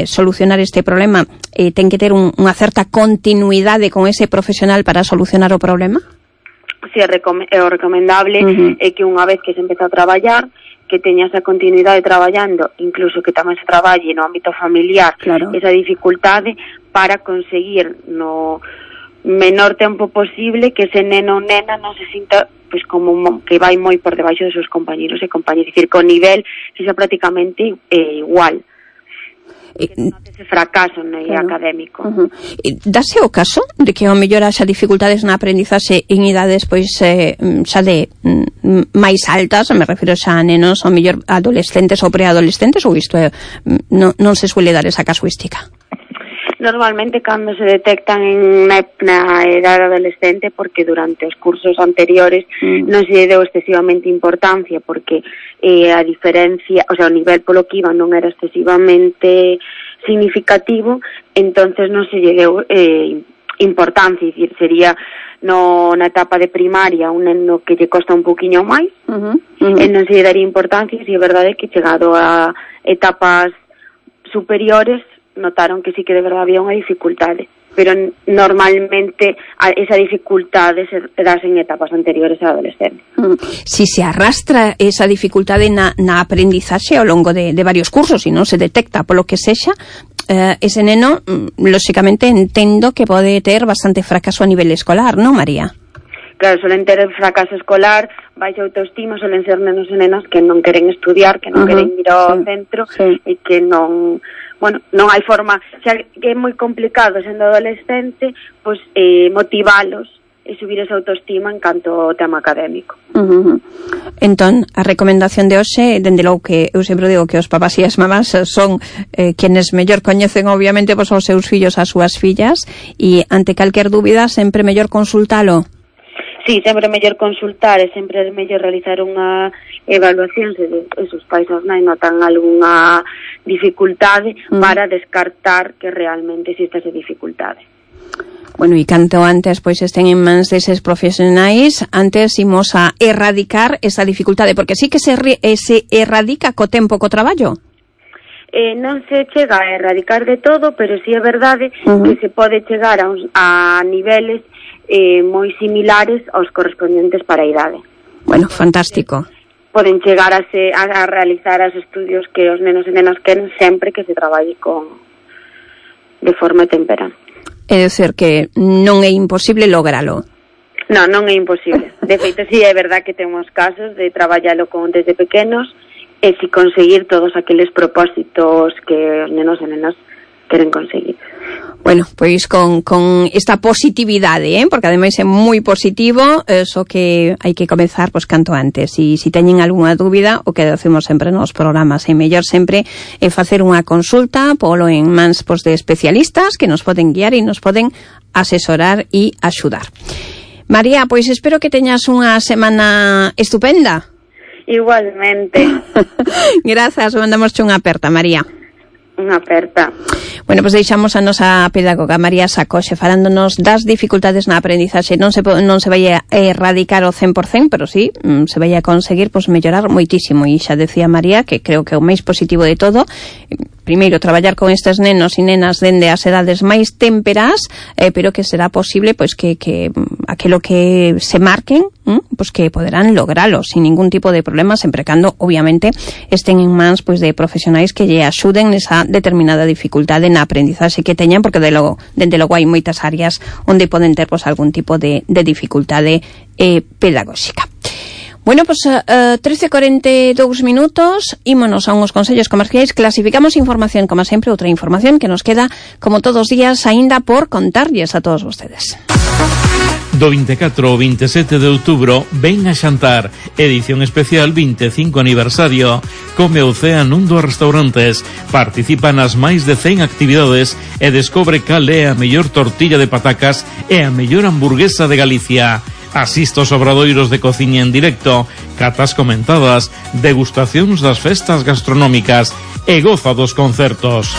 solucionar este problema ten que ter unha certa continuidade con ese profesional para solucionar o problema? Si, o recomendable é que unha vez que se empeza a traballar, que teña esa continuidade traballando, incluso que tamén se traballe no ámbito familiar, esa dificultade para conseguir no menor tempo posible que ese neno ou nena non se sinta pois como que vai moi por debaixo dos seus compañeros e compañeras, dicir, que o nivel sexa prácticamente igual. Que non ese fracaso académico. Dase o caso de que ao mellor haxa dificultades na aprendizaxe en idades pois xa de máis altas, me refiro xa a nenos, ao mellor adolescentes ou preadolescentes, ou isto non se suele dar esa casuística? Normalmente cando se detectan na edad adolescente, porque durante os cursos anteriores non se deu excesivamente importancia, porque a diferencia, o sea, o nivel polo que iban non era excesivamente significativo, entonces non se lle deu importancia, é dicir, sería na etapa de primaria un neno que lle costa un poquinho máis, e non se lle daría importancia, se é verdade que chegado a etapas superiores notaron que sí que de verdade había unha dificultade, pero normalmente esa dificultade se das en etapas anteriores á adolescencia. Si se arrastra esa dificultade na aprendizaxe ao longo de varios cursos e non se detecta polo que sexa, ese neno, lóxicamente, entendo que pode ter bastante fracaso a nivel escolar, non, María? Claro, suelen ter fracaso escolar, baixa autoestima, suelen ser nenos e nenas que non queren estudiar, que non queren ir ao centro e que non hai forma, xa que é moi complicado sendo adolescente, pois motivalos e subir esa autoestima en canto ao tema académico. Entón, a recomendación de hoxe, dende logo que eu sempre digo que os papás e as mamás son quienes mellor coñecen obviamente pois aos seus fillos, as súas fillas, e ante calquer dúbida sempre mellor consultalo. Sí, sempre é mellor consultar e sempre é mellor realizar unha evaluación se os pais ou nai notan algunha dificultade para descartar que realmente existe esa dificultade. Bueno, e canto antes pois estén en mans deses profesionais, antes imos a erradicar esa dificultade, porque sí que se erradica co tempo, co traballo. Non se chega a erradicar de todo, pero sí é verdade que se pode chegar a niveles moi similares aos correspondentes para a idade. Bueno, fantástico. Poden chegar a realizar os estudios que os nenos e nenas queren sempre que se traballe de forma temperá. É dicir, que non é imposible logralo. Non é imposible. De feito, sí, é verdad que temos casos de traballalo desde pequenos e si conseguir todos aqueles propósitos que os nenos e nenas queren conseguir. Bueno, pois con esta positividade, porque ademais é moi positivo, só que hai que comezar pois canto antes. E se teñen algunha dúbida, o que decimos sempre nos programas, é mellor sempre facer unha consulta polo en mans de especialistas que nos poden guiar e nos poden asesorar e axudar. María, pois espero que teñas unha semana estupenda. Igualmente. Grazas, mandamos unha aperta, María. Unha aperta. Bueno, pois deixamos a nosa pedagoga María Sacoxe falándonos das dificultades na aprendizaxe. Non se vai a erradicar o 100%, pero sí, se vai a conseguir mellorar moitísimo. E xa decía María que creo que o máis positivo de todo, primeiro, traballar con estes nenos e nenas dende as edades máis témperas, pero que será posible pois que aquilo que se marquen, pois que poderán logralo sin ningún tipo de problema, sempre cando, obviamente, estén en mans pois de profesionais que lle axuden nesa determinada dificultade na aprendizaxe que teñan, porque dende logo hai moitas áreas onde poden ter pois algún tipo de dificultade pedagóxica. Bueno, pues 13:42 minutos, ímonos a unos consellos comerciais, clasificamos información, como sempre, outra información que nos queda, como todos os días, aínda por contarlles a todos vostedes. Do 24 ao 27 de outubro, ven a xantar, edición especial 25 aniversario. Come o cea nun dos restaurantes, participa nas máis de 100 actividades e descobre cal é a mellor tortilla de patacas e a mellor hamburguesa de Galicia. Asista aos obradoiros de cociña en directo, catas comentadas, degustacións das festas gastronómicas e goza dos concertos.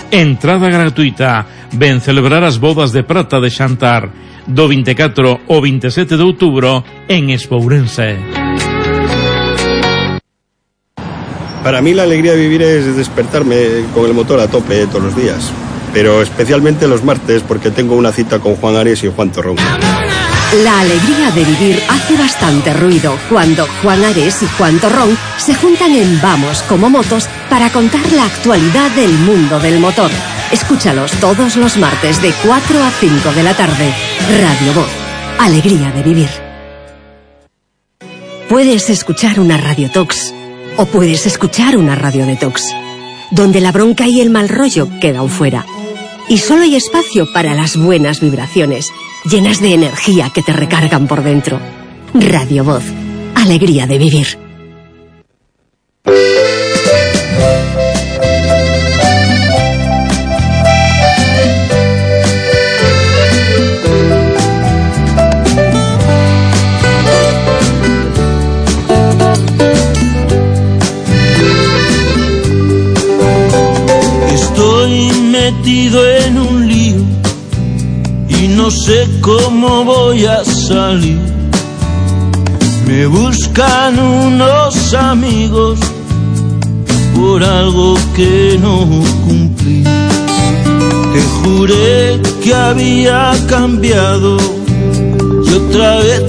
Entrada gratuita. Ven celebrar as bodas de prata de Xantar do 24 ao 27 de outubro en Espourense. Para mí la alegría de vivir es despertarme con el motor a tope todos los días, pero especialmente los martes porque tengo una cita con Juan Ares y Juan Torrón. La alegría de vivir hace bastante ruido cuando Juan Ares y Juan Torrón se juntan en Vamos como Motos para contar la actualidad del mundo del motor. Escúchalos todos los martes de 4 a 5 de la tarde. Radio Voz. Alegría de vivir. Puedes escuchar una Radio Tox o puedes escuchar una Radio Detox, donde la bronca y el mal rollo quedan fuera. Y solo hay espacio para las buenas vibraciones, llenas de energía que te recargan por dentro. Radio Voz. Alegría de vivir. Estoy metido en un lío y no sé cómo voy a salir. Me buscan unos amigos por algo que no cumplí. Te juré que había cambiado y otra vez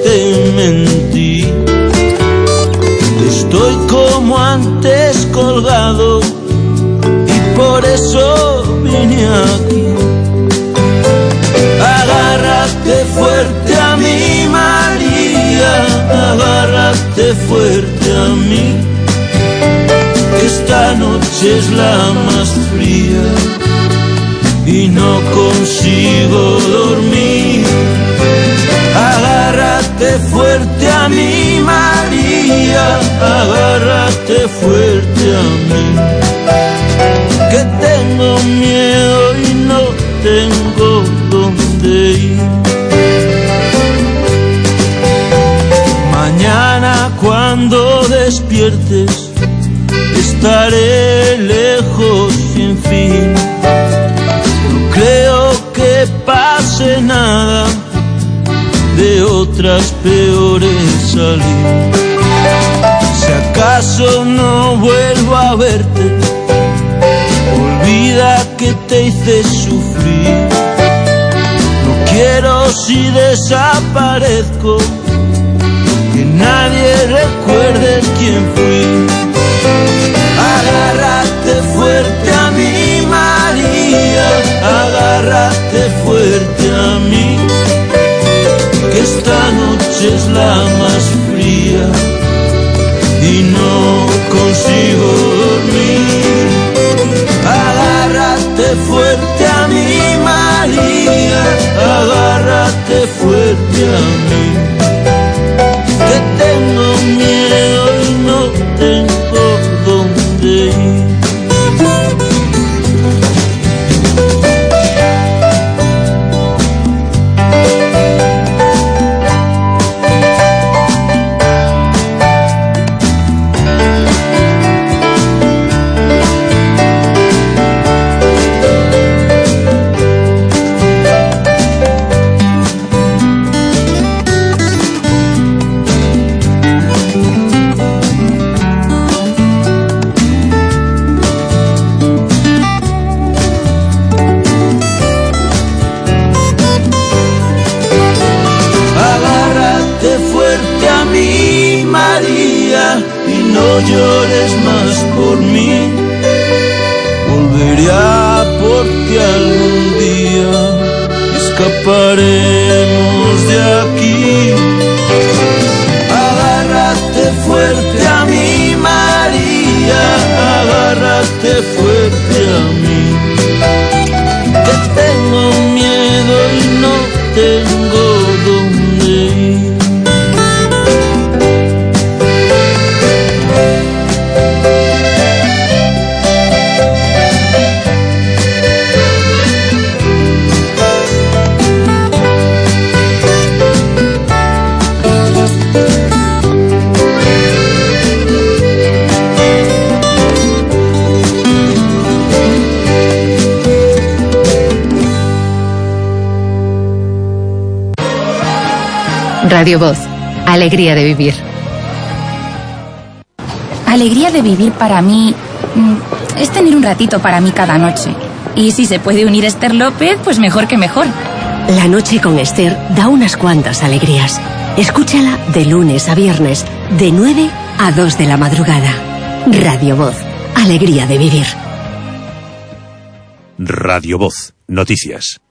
te mentí. Estoy como antes colgado y por eso vine aquí. Agárrate fuerte a mí, María, agárrate fuerte a mí. Esta noche es la más fría y no consigo dormir. Agárrate fuerte a mí, María, agárrate fuerte a mí. Que tengo miedo y no tengo dónde ir. Mañana cuando despiertes estaré lejos sin fin. No creo que pase nada, de otras peores salir. Si acaso no vuelvo a verte, olvida que te hice sufrir. No quiero si desaparezco que nadie recuerde quién fui. Agárrate fuerte a mí, María, agárrate está más fría y no consigo dormir. Agárrate fuerte a mí, María, agárrate fuerte a mí, que tengo miedo y no tengo dónde ir. Y no llores más por mí, volveré a por ti algún día, escaparemos de aquí. Agárrate fuerte a mí, María, agárrate fuerte a mí, que tengo miedo y no tengo dónde ir. Radio Voz, alegría de vivir. Alegría de vivir para mí es tener un ratito para mí cada noche. Y si se puede unir Esther López, pues mejor que mejor. La noche con Esther da unas cuantas alegrías. Escúchala de lunes a viernes, de 9 a 2 de la madrugada. Radio Voz, alegría de vivir. Radio Voz, noticias.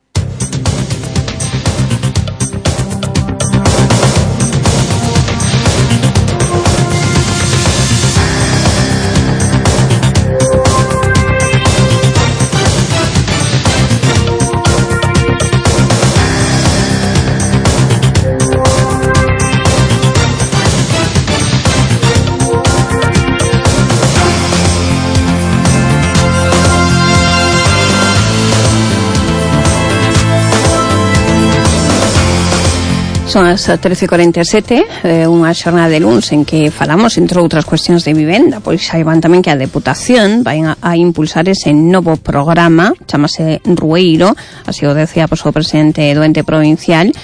Son as 13:47, unha xornada de luns en que falamos, entre outras cuestións de vivenda, pois saiban tamén que a Deputación vai a impulsar ese novo programa, chamase Rueiro, así o decía pois, o presidente do ente provincial,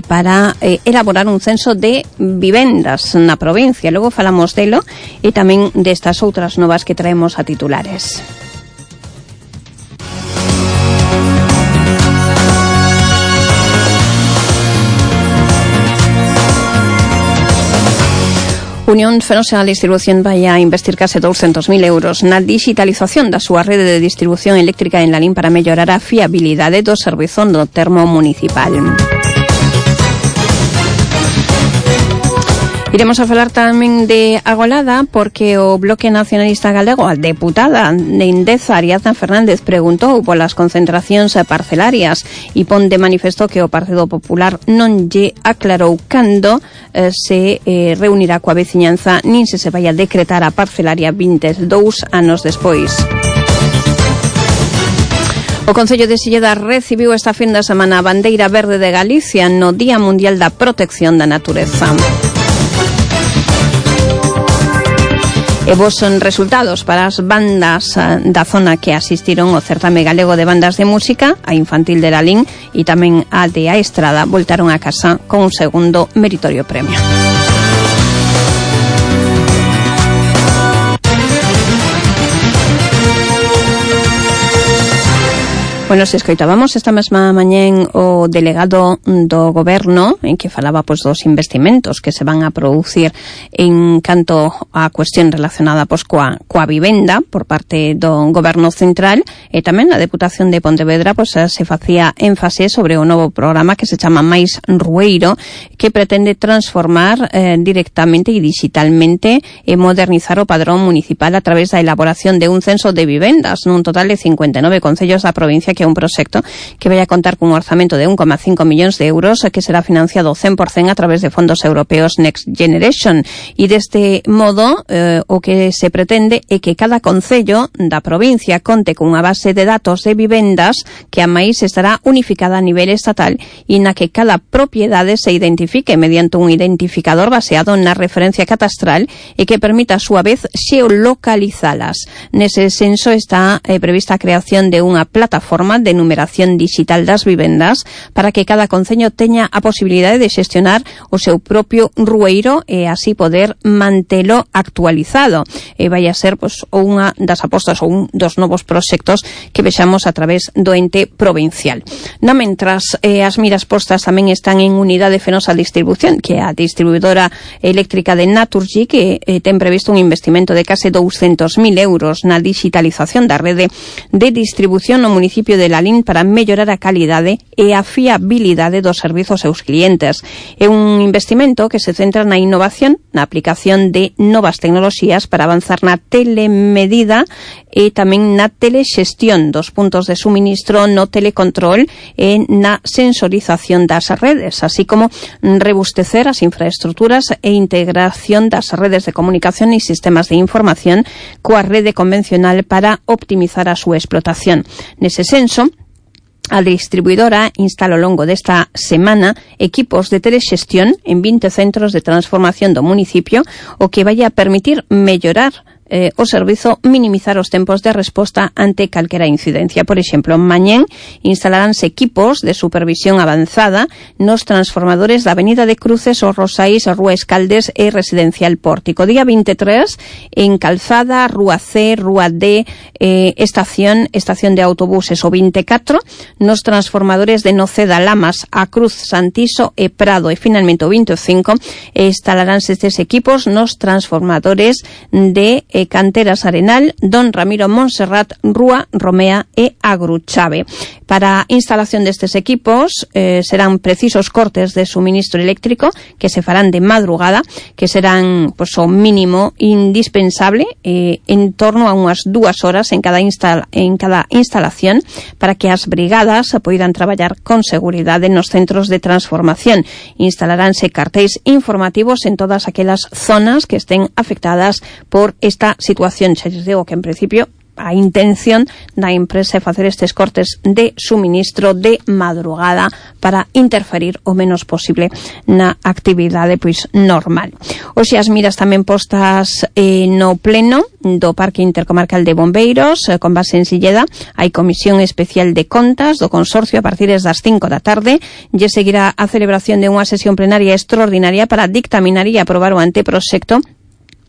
para elaborar un censo de vivendas na provincia. Logo falamos delo e tamén destas outras novas que traemos a titulares. Unión Fenosa Distribución vai a investir case 200.000 euros na digitalización da súa rede de distribución eléctrica en Lalín para mellorar a fiabilidade do servizo do termo municipal. Iremos a falar tamén de Agolada porque o Bloque Nacionalista Galego, a deputada de Endesa, Ariadna Fernández, preguntou polas concentracións parcelarias e pon de manifesto que o Partido Popular non lle aclarou cando se reunirá coa veciñanza nin se vai a decretar a parcelaria 22 anos despois. O Concello de Silleda recibiu esta fin de semana a bandeira verde de Galicia no Día Mundial da Protección da Natureza. E vos son resultados para as bandas da zona que asistiron ao certame galego de bandas de música, a infantil de Lalín e tamén a de A Estrada, voltaron a casa con un segundo meritorio premio. Bueno, se escoitábamos esta mesma mañén o delegado do goberno en que falaba pois dos investimentos que se van a producir en canto a cuestión relacionada pois coa vivenda por parte do goberno central, e tamén a Deputación de Pontevedra pois se facía énfase sobre o novo programa que se chama Máis Rueiro, que pretende transformar directamente e digitalmente e modernizar o padrón municipal a través da elaboración de un censo de vivendas nun total de 59 concellos da provincia, que é un proxecto que vai a contar cun orzamento de 1,5 millóns de euros que será financiado 100% a través de fondos europeos Next Generation, e deste modo o que se pretende é que cada concello da provincia conte cunha base de datos de vivendas que a máis estará unificada a nivel estatal e na que cada propiedade se identifique mediante un identificador baseado na referencia catastral e que permita a súa vez xeolocalizalas. Nese censo está prevista a creación de unha plataforma de numeración digital das vivendas para que cada concello teña a posibilidade de xestionar o seu propio rueiro e así poder mantelo actualizado. Vai a ser pois unha das apostas ou un dos novos proxectos que vexamos a través do ente provincial. No mentras, as miras postas tamén están en Unidade Fenosa Distribución, que é a distribuidora eléctrica de Naturgy, que ten previsto un investimento de case 200.000 euros na digitalización da rede de distribución no municipio de Lalín para mellorar a calidade e a fiabilidade dos servizos aos clientes. É un investimento que se centra na innovación, na aplicación de novas tecnoloxías para avanzar na telemedida e tamén na telexestión dos puntos de suministro, no telecontrol e na sensorización das redes, así como rebustecer as infraestructuras e integración das redes de comunicación e sistemas de información coa rede convencional para optimizar a súa explotación. Nese senso, a distribuidora instala ao longo desta semana equipos de telexestión en 20 centros de transformación do municipio, o que vai a permitir mellorar o servizo, minimizar os tempos de resposta ante calquera incidencia. Por exemplo, mañén instalaránse equipos de supervisión avanzada nos transformadores da Avenida de Cruces, os Rosais, a Rúa Escaldes e Residencial Pórtico. Día 23 en Calzada, Rúa C, Rúa D, estación de autobuses. O 24 nos transformadores de Noceda, Lamas, a Cruz, Santiso e Prado. E finalmente o 25 instalaránse estes equipos nos transformadores de Canteras Arenal, Don Ramiro Montserrat, Rúa Romea e Agruchave. Para a instalación destes equipos serán precisos cortes de suministro eléctrico que se farán de madrugada, que serán pois, o mínimo indispensable en torno a unhas 2 horas en cada instalación para que as brigadas poidan traballar con seguridade nos centros de transformación. Instalaránse cartéis informativos en todas aquelas zonas que estén afectadas por esta situación. Xa lles digo que en principio a intención da empresa é facer estes cortes de suministro de madrugada para interferir o menos posible na actividade pois normal. Hoxe as miras tamén postas no pleno do Parque Intercomarcal de Bombeiros, con base en Silleda. Hai comisión especial de contas do consorcio a partir das 5 da tarde. Lle seguirá a celebración de unha sesión plenaria extraordinaria para dictaminar e aprobar o anteproxecto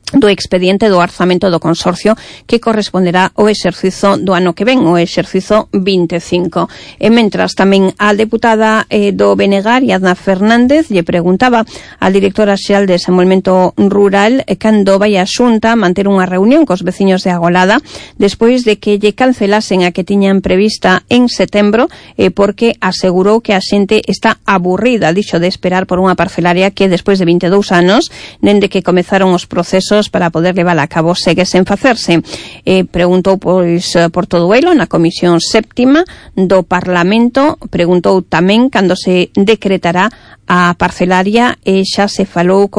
do expediente do orzamento do consorcio que corresponderá ao exercizo do ano que ven, o exercizo 25. E mentras tamén a deputada do Benegar, Iadna Fernández, lle preguntaba á directora xeral de Desenvolvemento Rural cando vai a Xunta manter unha reunión cos veciños de Agolada despois de que lle cancelasen a que tiñan prevista en setembro porque asegurou que a xente está aburrida, dixo, de esperar por unha parcelaria que despois de 22 anos, dende que comezaron os procesos para poder levar a cabo, segue sen facerse. Preguntou pois por todo elo na Comisión Séptima do Parlamento, preguntou tamén cando se decretará a parcelaria e xa se falou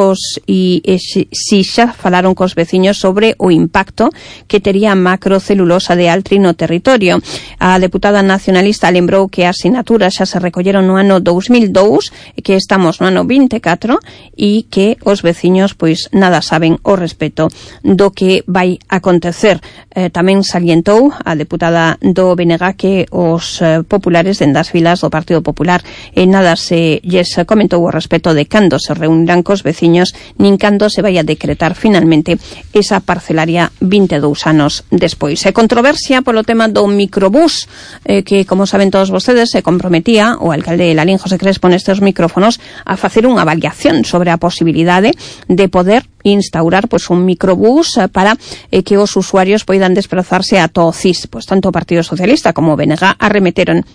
si xa falaron cos veciños sobre o impacto que tería a macrocelulosa de Altri no territorio. A deputada nacionalista lembrou que as sinaturas xa se recolleron no ano 2002, que estamos no ano 24 e que os veciños pois nada saben ao respecto do que vai acontecer. Tamén salientou a deputada do BNG que os populares dende as filas do Partido Popular nada se lles comentou o respecto de cando se reunirán cos veciños nin cando se vai a decretar finalmente esa parcelaria 22 anos despois. E controversia polo tema do microbús que, como saben todos vostedes, se comprometía o alcalde Lalín José Crespo nestes micrófonos a facer unha avaliación sobre a posibilidade de poder instaurar un microbús para que os usuarios poidan desplazarse a todo CIS. Tanto o Partido Socialista como o BNG arremeteron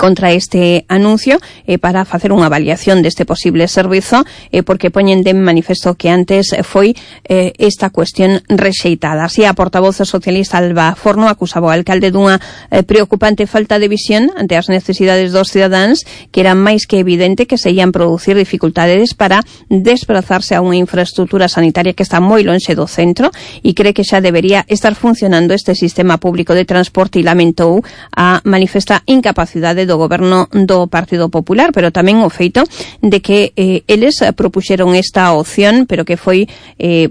contra este anuncio para facer unha avaliación deste posible servizo porque poñen de manifesto que antes foi esta cuestión rexeitada. Así, a portavoz socialista Alba Forno acusaba ao alcalde dunha preocupante falta de visión ante as necesidades dos cidadáns, que era máis que evidente que se ian producir dificultades para desplazarse a unha infraestructura sanitaria que está moi lonxe do centro e cree que xa debería estar funcionando este sistema público de transporte e lamentou a manifesta incapacidade do goberno do Partido Popular, pero tamén o feito de que eles propuxeron esta opción, pero que foi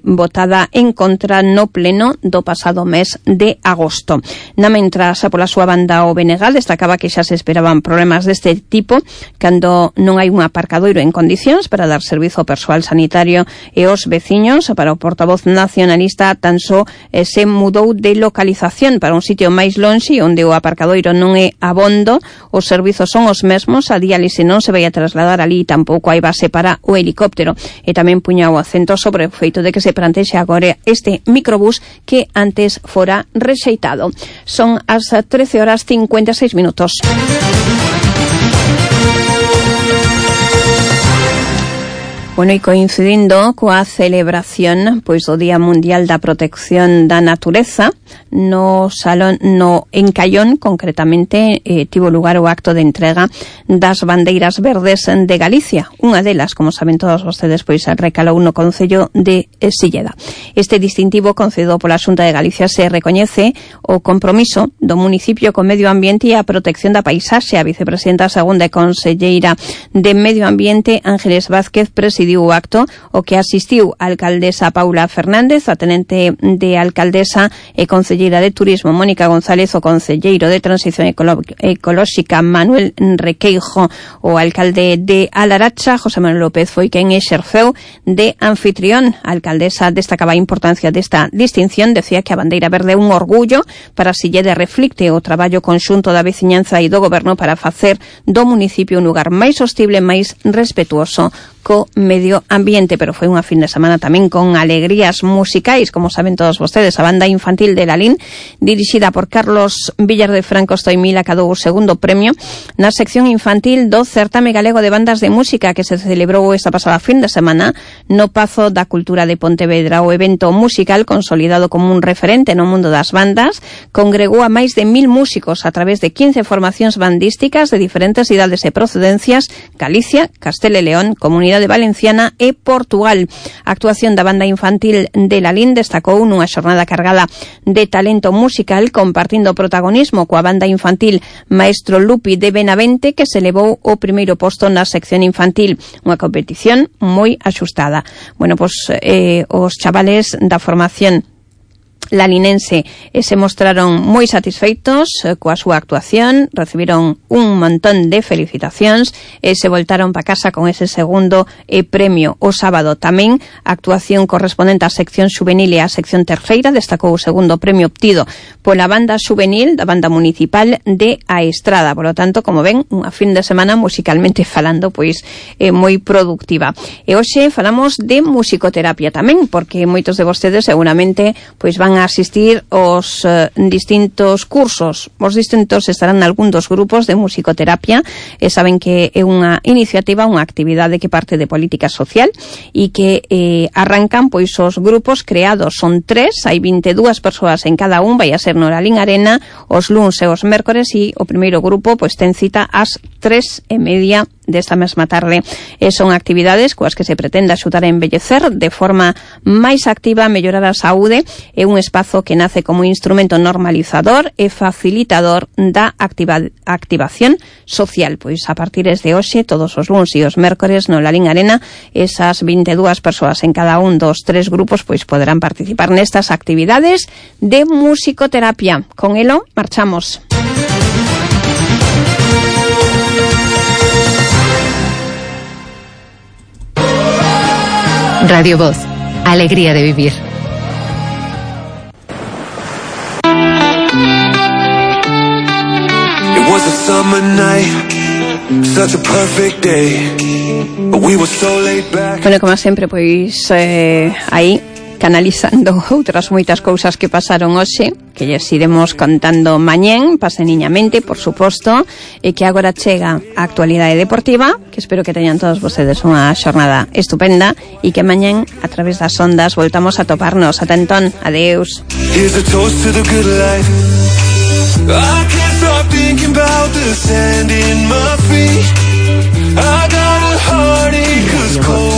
votada en contra no pleno do pasado mes de agosto. Na mentras, pola súa banda, o BNG destacaba que xa se esperaban problemas deste tipo cando non hai un aparcadoiro en condicións para dar servizo ao persoal sanitario e aos veciños. Para o portavoz nacionalista, tan só se mudou de localización para un sitio máis lonxe onde o aparcadoiro non é abondo. Os servizos son os mesmos, a diálise non se vai a trasladar ali, tampouco hai base para o helicóptero. E tamén puña o acento sobre o feito de que se plantexe agora este microbús que antes fora rexeitado. Son as 13:56. Bueno, e coincidindo coa celebración do Día Mundial da Protección da Natureza, no salón en Caión, concretamente, tivo lugar o acto de entrega das bandeiras verdes de Galicia. Unha delas, como saben todos vostedes, recalou no concello de Silleda. Este distintivo concedido pola Xunta de Galicia se recoñece o compromiso do municipio con medio ambiente e a protección da paisaxe. A vicepresidenta segunda e conselleira de Medio Ambiente, Ángeles Vázquez, presidiu o acto, o que asistiu a alcaldesa Paula Fernández, a tenente de alcaldesa e conselleira de Turismo Mónica González, o conselleiro de Transición Ecolóxica Manuel Requeijo, o alcalde de Alaracha, José Manuel López, foi quen exerceu de anfitrión. A alcaldesa destacaba a importancia desta distinción, decía que a bandeira verde é un orgullo para Silleda e reflicte o traballo conxunto da veciñanza e do goberno para facer do municipio un lugar máis sostible, máis respetuoso co medio ambiente. Pero foi unha fin de semana tamén con alegrías musicais, como saben todos vostedes. A banda infantil de Lalín, dirixida por Carlos Villar de Franco Stoimil, acadou o segundo premio na sección infantil do Certame Galego de Bandas de Música, que se celebrou esta pasada fin de semana no Pazo da Cultura de Pontevedra. O evento musical, consolidado como un referente no mundo das bandas, congregou a máis de 1000 músicos a través de 15 formacións bandísticas de diferentes idades e procedencias: Galicia, Castela e León, Comunidade Valenciana e Portugal. A actuación da banda infantil de Lalín destacou nunha xornada cargada de talento musical, compartindo protagonismo coa banda infantil Maestro Lupi de Benavente, que se levou o primeiro posto na sección infantil. Unha competición moi axustada. Bueno, os chavales da formación lalinense se mostraron moi satisfeitos coa súa actuación, recibiron un montón de felicitacións e se voltaron para casa con ese segundo premio. O sábado tamén a actuación correspondente á sección xuvenil e á sección terceira destacou o segundo premio obtido pola banda xuvenil da banda municipal de A Estrada. Por lo tanto, como ven, unha fin de semana musicalmente falando moi productiva. E hoxe falamos de musicoterapia tamén, porque moitos de vostedes seguramente van a asistir aos distintos cursos. Os distintos estarán nalgún dos grupos de musicoterapia e saben que é unha iniciativa, unha actividade que parte de política social e que arrancan os grupos creados. Son 3, hai 22 persoas en cada un, vai a ser no Lalín Arena os luns e os mércores, e o primeiro grupo ten cita ás 3:30 desta mesma tarde. E son actividades coas que se pretende axudar a envellecer de forma máis activa, mellorar a saúde. É un espazo que nace como instrumento normalizador e facilitador da activación social. Pois a partir de hoxe, todos os luns e os mércores no Lalín Arena, esas 22 persoas en cada un dos 3 grupos pois poderán participar nestas actividades de musicoterapia. Con elo marchamos. Radio Voz, alegría de vivir. It was a summer night, such a perfect day. We were so laid back. Bueno, como sempre, pois aí canalizando outras moitas cousas que pasaron hoxe, que lles iremos contando mañén, paseniñamente, por suposto, e que agora chega a actualidade deportiva, que espero que teñan todos vostedes unha xornada estupenda, e que mañén, a través das ondas, voltamos a toparnos. Ata entón, adeus. Here's a toast to the good life. I can't stop thinking about the sand in my feet. I got a heartache 'cause cold